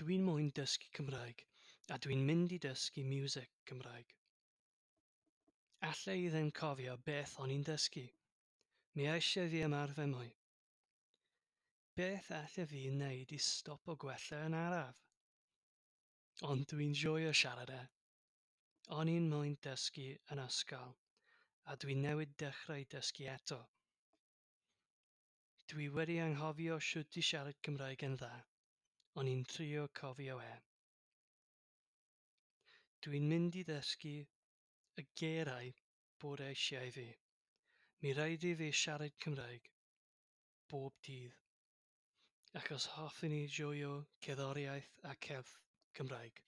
Dwi'n moyn dysgu Cymraeg a dwi'n mynd i dysgu miwsig Cymraeg. Alla i ddim cofio beth o'n i'n dysgu. Mi eisiau fi ymarfer mwy. Beth alla fi wneud i stopo gwella yn araf? Ond dwi'n joio siarad e. O'n i'n moyn dysgu yn ysgol, a dwi newydd dechrau dysgu eto. Dwi wedi anghofio shwt i siarad Cymraeg yn dda. O'n i'n trio cofio e. Dwi'n mynd i ddysgu y geiriau bod eisiau fi. Mi raid i fi siarad Cymraeg bob dydd, achos hoffwn i joio cerddoriaeth a cerdd Cymraeg.